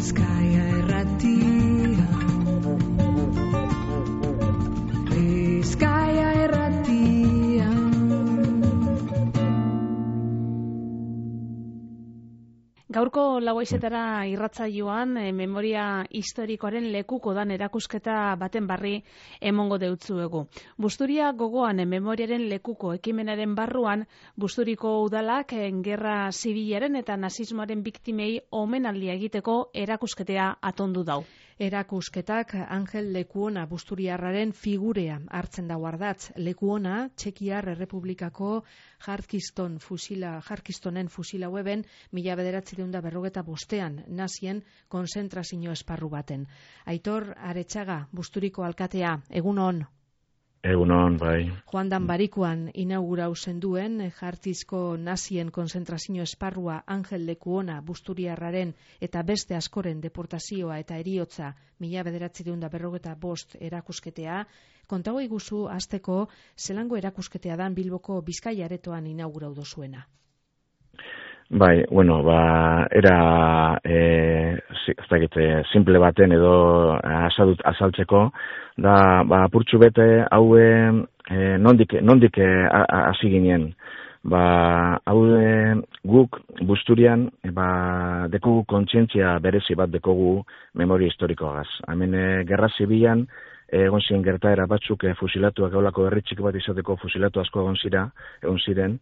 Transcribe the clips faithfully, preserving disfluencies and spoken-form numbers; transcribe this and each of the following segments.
Bizkaia irratia, Bizkaia irratia. Gaurko lauaizetara irratsaioan e, memoria historikoaren lekuko dan erakusketa baten barri emongo deutzuegu. Busturia gogoan e, memoriaren lekuko ekimenaren barruan, Busturiko udalak e, gerra zibilaren eta nazismoaren biktimei omenaldia egiteko erakusketea atondu dau. Erakusketak Angel Lekuona Busturiarraren figurea hartzen da ardatz. Lekuona Txekiar Errepublikako Jarkiston fusila, Jarkistonen fusila weben mila bederatziehun eta berrogeta bostean nazien konzentrazio esparru baten. Aitor Aretxaga, Busturiko alkatea, egun on. Egunon, bai. Joan dan barikuan inaugurau zenduen Jartizko nazien konzentrazio esparrua Angel Lekuona Busturiarraren eta beste askoren deportazioa eta eriotza mila bederatziehun eta berrogeta bost erakusketea. Kontago iguzu hasteko zelango erakusketea dan Bilboko Bizkaia aretoan inaugurau dozuena. Bai, bueno, ba, era eh, ez simple baten edo azadut, azaltzeko, da, ba, apurtxu bete hau eh, nondik, nondik hasi ginen. Ba, hau guk Busturian, ba, dekogu kontzientzia berezi bat dekogu memoria historikoagaz. Hemen eh, gerra zibilan, egon ziren gertaera batzuk e, fusilatuak gaulako herritxik bat izateko fusilatu asko egon zira, egon ziren,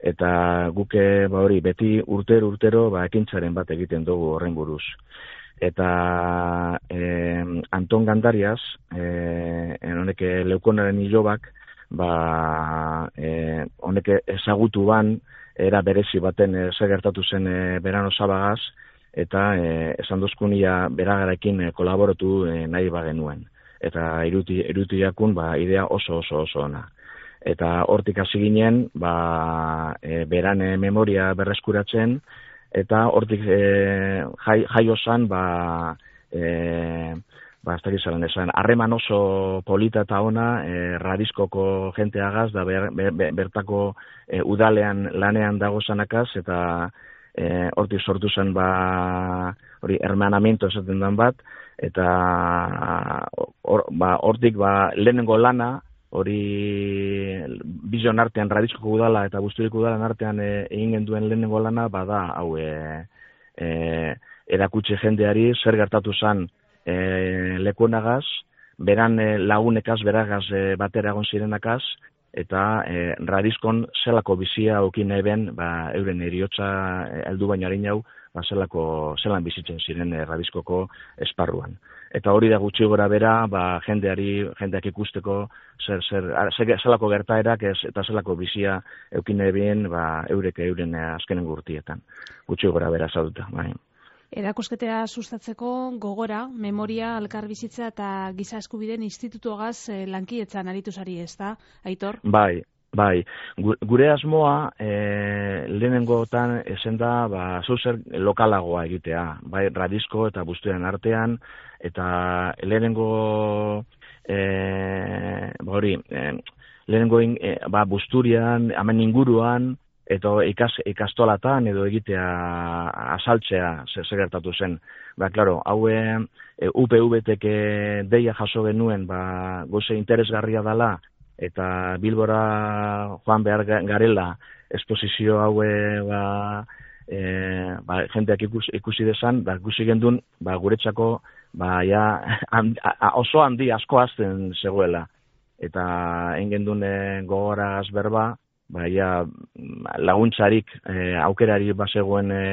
eta guke ba hori beti urtero urtero ba ekintzaren bat egiten dugu horren buruz. Eta e, Anton Gandarias, e, honek Leukonaren hilobak, ba e, honek ezagutu ban era berezi baten e, zer gertatu zen e, Berano Zabagaz, eta e, esan dozkunia beragarekin e, kolaboratu e, nahi bagenuen. Eta iruti, irutiakun ba, idea oso oso oso ona. Eta hortik hasi ginen, ba, e, berane memoria berreskuratzen, eta hortik e, jai, jaio zan, ba, e, ba, ez dakit zelan esan, harreman oso polita eta ona, e, Radizkoko jenteagaz, da ber, ber, bertako e, udalean lanean dago zanakaz, eta e, hortik sortu zen, ba, hori, hermanamiento esaten den bat, eta or, ba, hortik ba, lehenengo lana, hori bizon artean, Radizkoko udala eta Busturiko udalen artean e, egin genduen lehenengo lana, bada, hau, e, e, erakutsi jendeari zer gertatu zen e, Lekuonagaz, beran e, lagunekaz, beragaz e, batera egon zirenakaz, eta e, Radizkon zelako bizia okin eben, ba, euren eriotza heldu baino harin hau, ba, zelako, zelan bizitzen ziren e, Radizkoko esparruan. Eta hori da gutxi gora bera, ba, jendeari, jendeak ikusteko, zer, zer, zer, zelako gertaerak ez, eta zelako bizia eukin eben, ba, eurek euren azkenen gurtietan. Gutxi gora bera zauduta, bai. Erakusketea sustatzeko gogora, memoria, elkarbizitza eta giza eskubideen institutuagaz eh, lankietzan aritu zari, ez da, Aitor? Bai, bai. Gure asmoa e, lehenengotan esen da ba, zauzer lokalagoa egitea, bai Radizko eta Busturian artean, eta lehenengo e, ba hori, e, lehenengo e, ba, Busturian, hemen inguruan, eta ikas, ikastolatan edo egitea asaltzea zer gertatu zen. Ba, klaro, hau e, U P V-tek deia jaso genuen, ba, goze interesgarria dela, eta Bilbora joan behar garela esposizio haue ba, e, ba, jendeak ikusi, ikusi desan, ba, ikusi gendun ba, guretzako ba, ja, handi, oso handi asko azten zegoela. Eta egin gendun e, gogoraz berba, ba, ja, laguntzarik e, aukerari bazegoen e,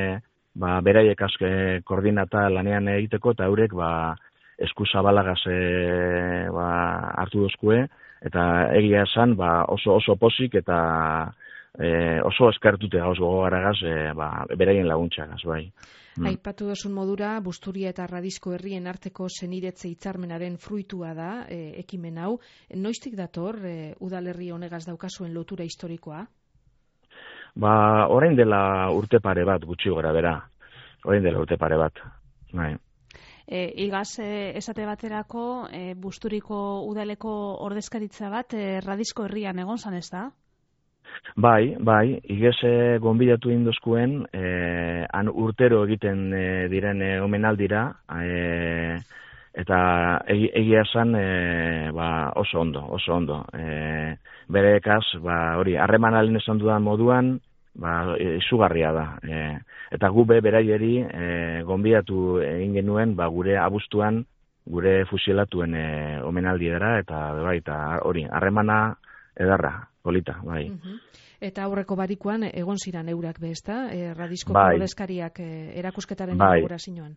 ba, beraiek azke koordinata lanean egiteko, eta eurek ba, eskuzabalagaz e, ba, hartu dozkue, eta egia esan ba, oso oso posik eta e, oso eskartute gauz gogogaragaz e, ba, beraien laguntzagaz, bai. Mm. Aipatu dozun modura, Busturia eta Radizko herrien arteko seniretze hitzarmenaren fruitua da e, ekimen hau. Noiztik dator e, udalerri honegaz daukazuen lotura historikoa? Ba, orain dela urte pare bat, gutxi gora bera. Orain dela urte pare bat, bai. E, igaz, e, esate baterako, e, Busturiko udaleko ordezkaritza bat, e, Radizko herrian egon zan, ez da? Bai, bai, igeze gonbidatu induzkuen, eh, han urtero egiten eh, diren eh, omenaldira, eh, eta egi, egia esan eh, ba, oso ondo, oso ondo. Eh, bere ekaz, ba, hori, harremanalen esan dudan moduan, ba, izugarria da. Eh, eta gu be beraieri eh, gonbidatu egin genuen, ba, gure abuztuan, gure fusilatuen eh, omenaldiera, eta bai, eta hori, harremana edarra, polita, bai. Uh-huh. Eta aurreko barikuan egon ziran eurak be, ezta? E, Radiskoko bai. ordezkariak e, erakusketaren bai. inaugurazioan.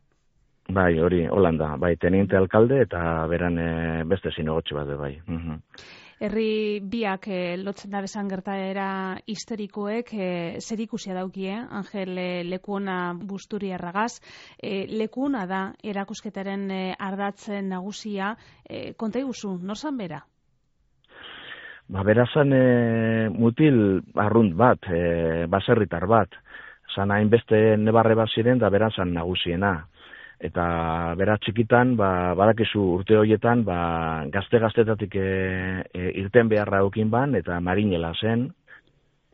Bai, hori, Holanda, bai, teniente alkalde eta beran e, beste zinegotxe bat, bai. Uh-huh. Herri biak e, lotzen da bezan gertaera historikoek e, zer ikusia daukie, Angel e, Lekuona Busturiarragaz. E, Lekuona da erakusketaren e, ardatzen nagusia, e, konta iguzu, nor zan bera? Ba, berazan e, mutil arrunt bat, e, baserritar bat, zan hainbeste nebarre bat ziren da berazan nagusiena. Eta bera txikitan, ba, badakizu urte horietan, ba, gazte-gaztetatik e, e, irten beharra eukin ban, eta marinela zen.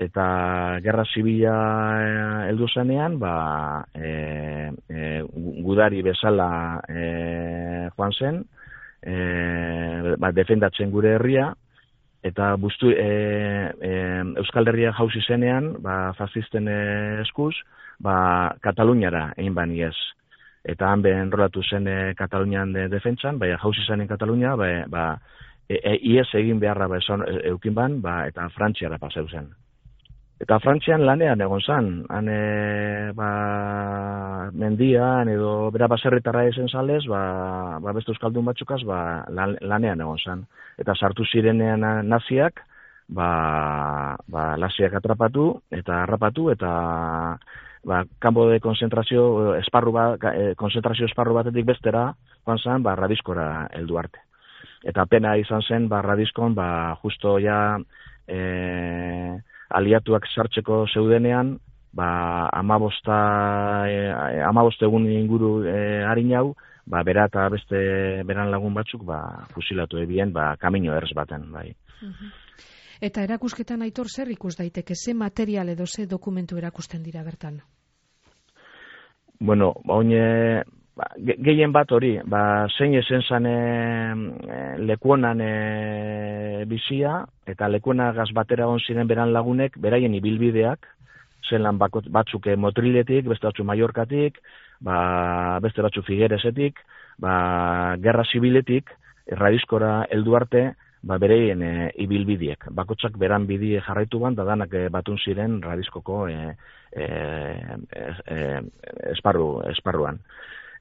Eta gerra zibila heldu zenean, ba, e, e, gudari bezala e, joan zen, e, ba, defendatzen gure herria, eta bustu, e, e, Euskal Herria jauzi zenean, ba, fascisten eskuz, ba, Kataluniara egin bani ez. Eta han behen enrolatu zen e, Katalunian de, defentsan, baina jauzi zen Katalunia, ba, ba, e, e, ies egin beharra ba, esan, e, eukin ban, ba, eta Frantziara paseu zen. Eta Frantzian lanean egon zen, han e, ba, mendian edo bera baserritarra esen zalez, ba, ba beste euskaldun batzukaz ba, lan, lanean egon zen. Eta sartu zirenean naziak, ba, ba naziak atrapatu eta harrapatu eta ba, kanpo de konzentrazio esparru bat, konzentrazio esparru batetik bestera, joan zen, ba, Radiskora heldu arte. Eta pena izan zen, ba, Radiskon, ba, justo ja, e, aliatuak sartzeko zeudenean, ba, amabosta, e, amaboste egun inguru e, harin hau, ba, bera eta beste beran lagun batzuk, ba, fusilatu ebien, ba, kamino erz baten, bai. Uh-huh. Eta erakusketan Aitor zer ikus daiteke, ze material edo ze dokumentu erakusten dira bertan? Bueno, ba, oine, ba, ge, gehien bat hori, ba, zein esen zan e, Lekuonan e, bizia, eta Lekuonagaz batera on ziren beran lagunek, beraien ibilbideak, zelan batzuk Motriletik, beste batzuk Mallorcatik, ba, beste batzuk Figueresetik, ba, Gerra Zibiletik, Radiskora heldu arte, ba, bereien e, ibilbideak. Bakotsak beran bidie jarraitu ban, da danak e, batun ziren Radiskoko e, e, e, esparru, esparruan.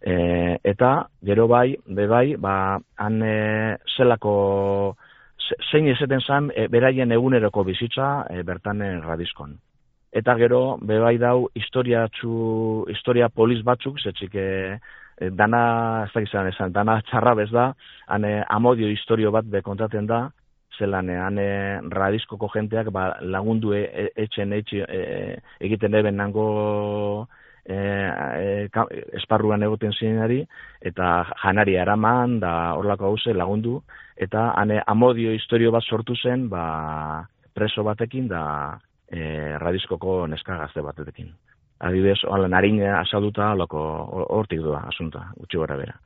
E, eta, gero bai, be bai, ba, han e, zelako, zein ezeten zan, e, beraien eguneroko bizitza e, bertan e, Radiskon. Eta gero, be bai dau, historia, txu, historia poliz batzuk, zetxik e, dana, ez da gizan esan, dana txarra bez da, hane amodio historio bat be kontaten da, zelan hane Radiskoko jenteak ba, lagundu e, e, etxen etxe e, egiten eben nango e, e, esparruan egoten zinari, eta janari araman, da horlako hauze lagundu, eta hane amodio historio bat sortu zen, ba, preso batekin, da e, Radiskoko neska gazte batekin. Adibidez, hola, narina asalduta hortik doa, asunta, gutxi gora bera.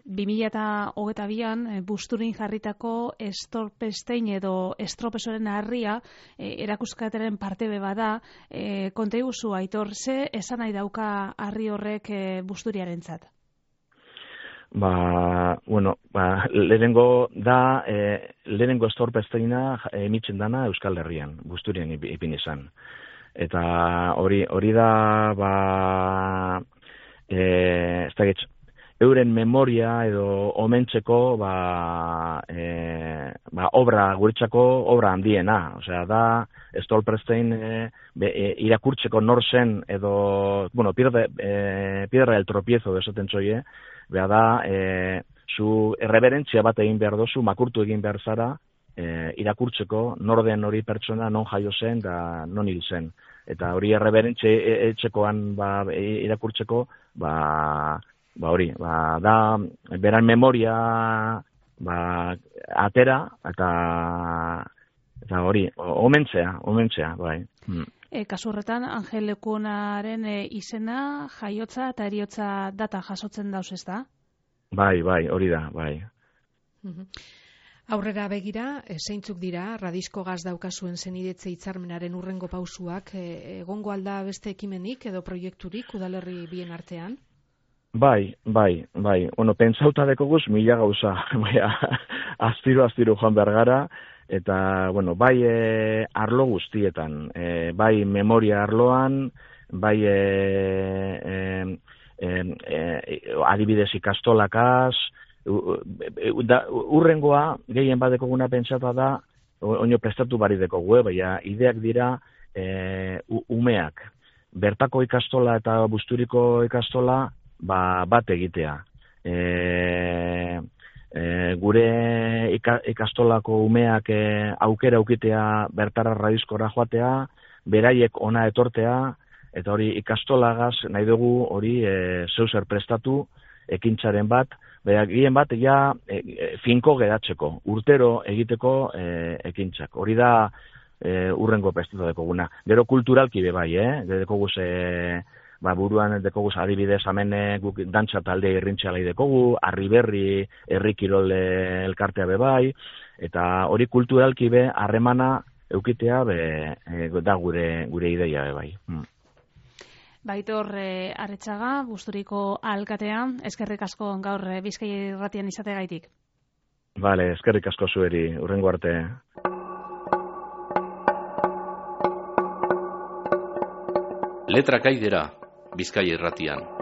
bi mila hogeita bian, Busturin jarritako estorpestein edo estropesoren harria e, erakuskataren parte beba da. E, konta iguzu, Aitor, ze esan nahi dauka harri horrek e, Busturiarentzat? Ba, bueno, ba, lehenengo da, e, lehenengo estorpesteina emitzen dana Euskal Herrian, Busturian ipin izan. Eta hori hori da, ba, e, ez da getx, euren memoria edo omentzeko, ba, e, ba, obra, guretzako obra handiena. Osea, da, Stolperstein e, be, e, irakurtzeko nor zen edo, bueno, pierde, e, piedra del tropiezo desaten txoie, beha da, e, zu erreberentzia bat egin behar dozu, makurtu egin behar zara, E, irakurtzeko nor den hori pertsona non jaio zen da non hil zen. Eta hori erreberentxe etxekoan ba, irakurtzeko, ba, ba hori, ba, da beran memoria ba, atera, eta eta hori, omentzea, omentzea, bai. Mm. E, kasu horretan, Angel Lekuonaren e, izena, jaiotza eta eriotza data jasotzen dauz, ez da? Bai, bai, hori da, bai. Mhm. Aurrera begira, e, zeintzuk dira, Radizko Gaz daukazuen zenidetze hitzarmenaren urrengo pausuak, e, egongo alda beste ekimenik edo proiekturik udalerri bien artean? Bai, bai, bai. Bueno, pentsauta dekoguz mila gauza, astiro, astiro joan behar gara, eta, bueno, bai e, arlo guztietan, e, bai memoria arloan, bai e, e, e, e, adibidez ikastolakaz, Da, urrengoa, gehien badekoguna pentsata da, oino prestatu bari dekogu, baina ideak dira e, umeak. Bertako ikastola eta Busturiko ikastola ba, bat egitea. E, e, gure ikastolako umeak e, aukera aukitea bertara Radizkora joatea, beraiek ona etortea, eta hori ikastolagaz nahi dugu hori e, zeuser prestatu, ekintzaren bat, baina gehien bat ja e, e, finko geratzeko, urtero egiteko e, ekintzak. Hori da e, urrengo prestatu dekoguna. Gero kulturalki be bai, eh? Dekoguz, e, ba, buruan dekoguz adibidez hemen guk dantza talde irrintxalai dekogu, Arriberri, Herri Kirol elkartea be bai, eta hori kulturalki be harremana eukitea be, e, da gure, gure ideia be bai. Hmm. Baitor e, Arretxaga, Busturiko alkatean, eskerrik asko gaur e, Bizkaia Irratian izategaitik. Vale, eskerrik asko zueri, urrengo arte. Letra Kaidera, Bizkaia Irratian.